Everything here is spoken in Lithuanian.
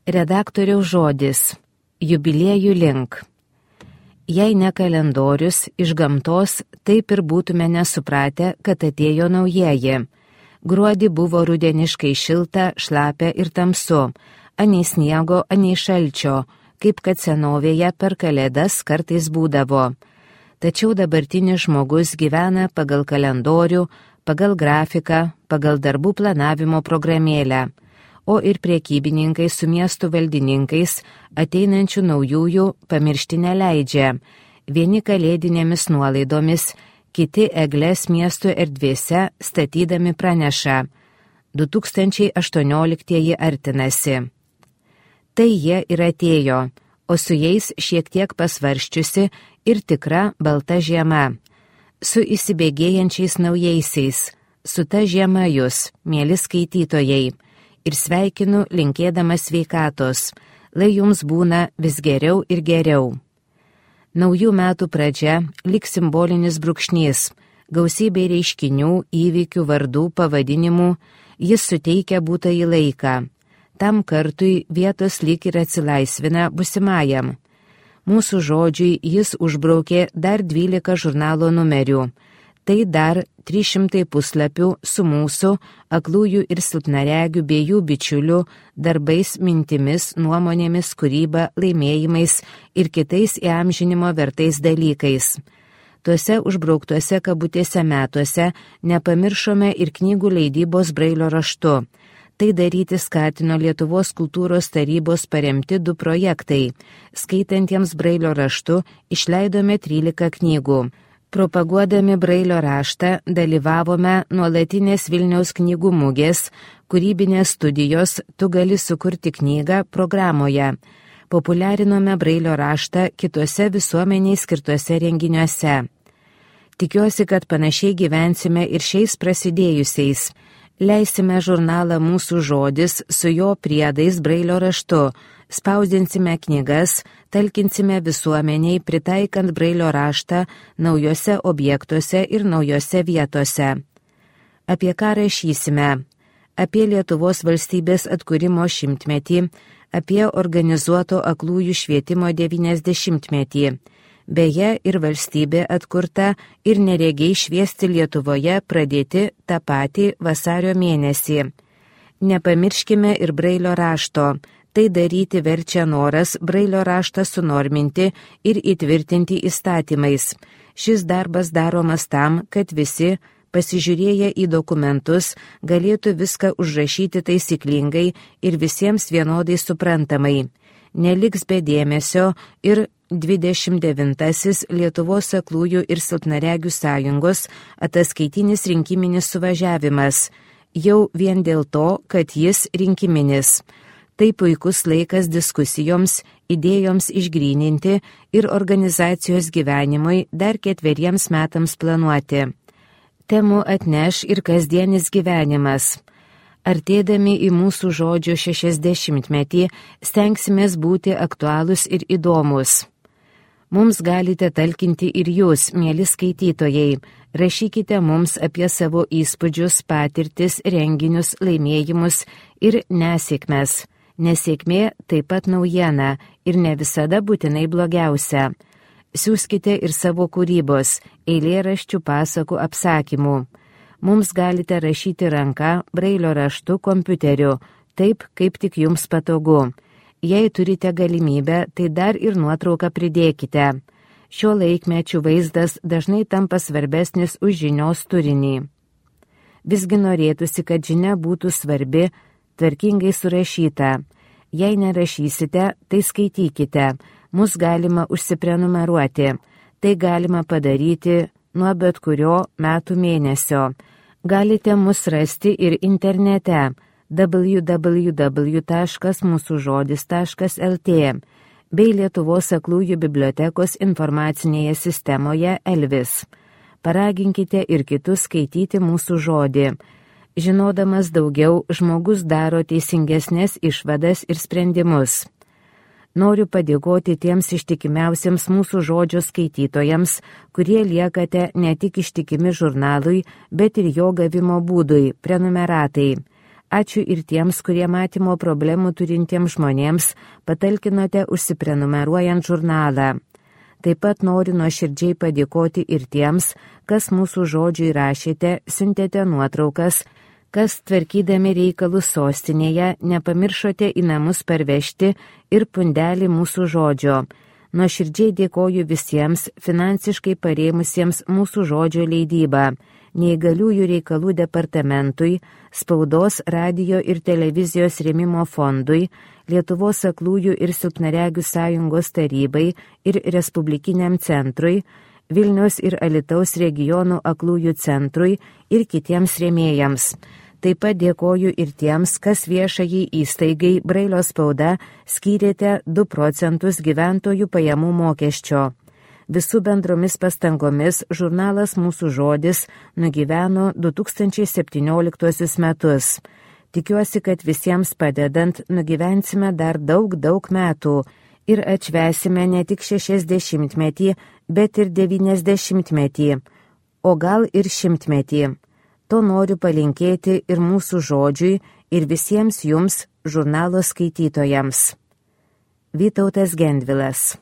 Redaktoriaus žodis. Jubiliejų link. Jei ne kalendorius iš gamtos, taip ir būtume nesupratę, kad atėjo naujieji. Gruodį buvo rudeniškai šilta, šlapia ir tamsu, anei sniego, anei šalčio, kaip kad senovėje per kalėdas kartais būdavo. Tačiau dabartinis žmogus gyvena pagal kalendorių, pagal grafiką, pagal darbų planavimo programėlę, o ir prekybininkai su miestų valdininkais ateinančių naujųjų pamiršti neleidžia. Vieni kalėdinėmis nuolaidomis, kiti egles miestų erdvėse statydami praneša. 2018 artinasi. Tai jie ir atėjo, o su jais šiek tiek pasvarščiusi ir tikra balta žiema. Su įsibėgėjančiais naujaisiais, su ta žiema jūs, mieli skaitytojai, ir sveikinu linkėdamas sveikatos, lai jums būna vis geriau ir geriau. Naujų metų pradžia lyg simbolinis brūkšnys, gausybė reiškinių, įvykių, vardų, pavadinimų, jis suteikia būtąjį laiką. Tam kartui vietos lyg ir atsilaisvina busimajam. Mūsų žodžiui jis užbraukė dar 12 žurnalo numerių. Tai dar 300 puslapių su mūsų aklųjų ir silpnaregių bei jų bičiulių darbais, mintimis, nuomonėmis, kūryba, laimėjimais ir kitais įamžinimo vertais dalykais. Tuose užbrauktuose kabutėse metuose nepamiršome ir knygų leidybos Brailio raštu. Tai daryti skatino Lietuvos kultūros tarybos paremti 2 projektai. Skaitantiems Brailio raštu išleidome 13 knygų. Propaguodami Brailio raštą dalyvavome nuolatinės Vilniaus knygų mugės, kūrybinės studijos Tu gali sukurti knygą programoje. Populiarinome Brailio raštą kituose visuomeniai skirtuose renginiuose. Tikiuosi, kad panašiai gyvensime ir šiais prasidėjusiais. Leisime žurnalą Mūsų žodis su jo priedais Brailio raštu, spausdinsime knygas, talkinsime visuomeniai pritaikant Brailio raštą naujose objektuose ir naujose vietose. Apie ką rašysime? Apie Lietuvos valstybės atkūrimo 100-metį, apie organizuoto aklųjų švietimo 90-metį. Beje, ir valstybė atkurta, ir neregiai šviesti Lietuvoje pradėti tą patį vasario mėnesį. Nepamirškime ir Brailio rašto. Tai daryti verčia noras Brailio raštą sunorminti ir įtvirtinti įstatymais. Šis darbas daromas tam, kad visi, pasižiūrėję į dokumentus, galėtų viską užrašyti taisyklingai ir visiems vienodai suprantamai. Neliks be dėmesio ir 29. Lietuvos aklųjų ir silpnaregių sąjungos ataskaitinis rinkiminis suvažiavimas. Jau vien dėl to, kad jis rinkiminis. Tai puikus laikas diskusijoms, idėjoms išgryninti ir organizacijos gyvenimui dar 4 metams planuoti. Temų atneš ir kasdienis gyvenimas. Artėdami į Mūsų žodžio 60-metį stengsimės būti aktualūs ir įdomus. Mums galite talkinti ir jūs, mieli skaitytojai. Rašykite mums apie savo įspūdžius, patirtis, renginius, laimėjimus ir nesėkmes. Nesėkmė taip pat naujiena ir ne visada būtinai blogiausia. Siųskite ir savo kūrybos, eilėraščių, pasakų, apsakymų. Mums galite rašyti ranka, Brailio raštu, kompiuteriu, taip kaip tik jums patogu. Jei turite galimybę, tai dar ir nuotrauką pridėkite. Šio laikmečių vaizdas dažnai tampa svarbesnis už žinios turinį. Visgi norėtųsi, kad žinia būtų svarbi, tvarkingai surašyta. Jei nerašysite, tai skaitykite. Mus galima užsiprenumeruoti. Tai galima padaryti nuo bet kurio metų mėnesio. Galite mus rasti ir internete www.mūsužodis.lt bei Lietuvos aklųjų bibliotekos informacinėje sistemoje Elvis. Paraginkite ir kitus skaityti Mūsų žodį. Žinodamas daugiau, žmogus daro teisingesnės išvadas ir sprendimus. Noriu padėkoti tiems ištikimiausiems Mūsų žodžio skaitytojams, kurie liekate ne tik ištikimi žurnalui, bet ir jo gavimo būdui, prenumeratai. Ačiū ir tiems, kurie matymo problemų turintiems žmonėms patalkinote užsiprenumeruojant žurnalą. Taip pat noriu nuoširdžiai padėkoti ir tiems, kas mūsų žodžiui rašėte, siuntėte nuotraukas, kas tvarkydami reikalus sostinėje nepamiršote į namus parvežti ir pundelį mūsų žodžio. Nuoširdžiai dėkoju visiems finansiškai parėmusiems mūsų žodžio leidybą, neįgaliųjų reikalų departamentui, spaudos, radijo ir televizijos rėmimo fondui, Lietuvos aklųjų ir silpnaregių sąjungos tarybai ir Respublikiniam centrui, Vilniaus ir Alytaus regionų aklųjų centrui ir kitiems rėmėjams. Taip pat dėkoju ir tiems, kas viešajai įstaigai Brailio spauda skyrėte 2% gyventojų pajamų mokesčio. Visų bendromis pastangomis žurnalas Mūsų žodis nugyveno 2017 metus. Tikiuosi, kad visiems padedant nugyvensime dar daug metų ir atšvęsime ne tik 60-metį, bet ir 90-metį, o gal ir 100-metį. To noriu palinkėti ir Mūsų žodžiui, ir visiems jums žurnalo skaitytojams. Vytautas Gendvilas.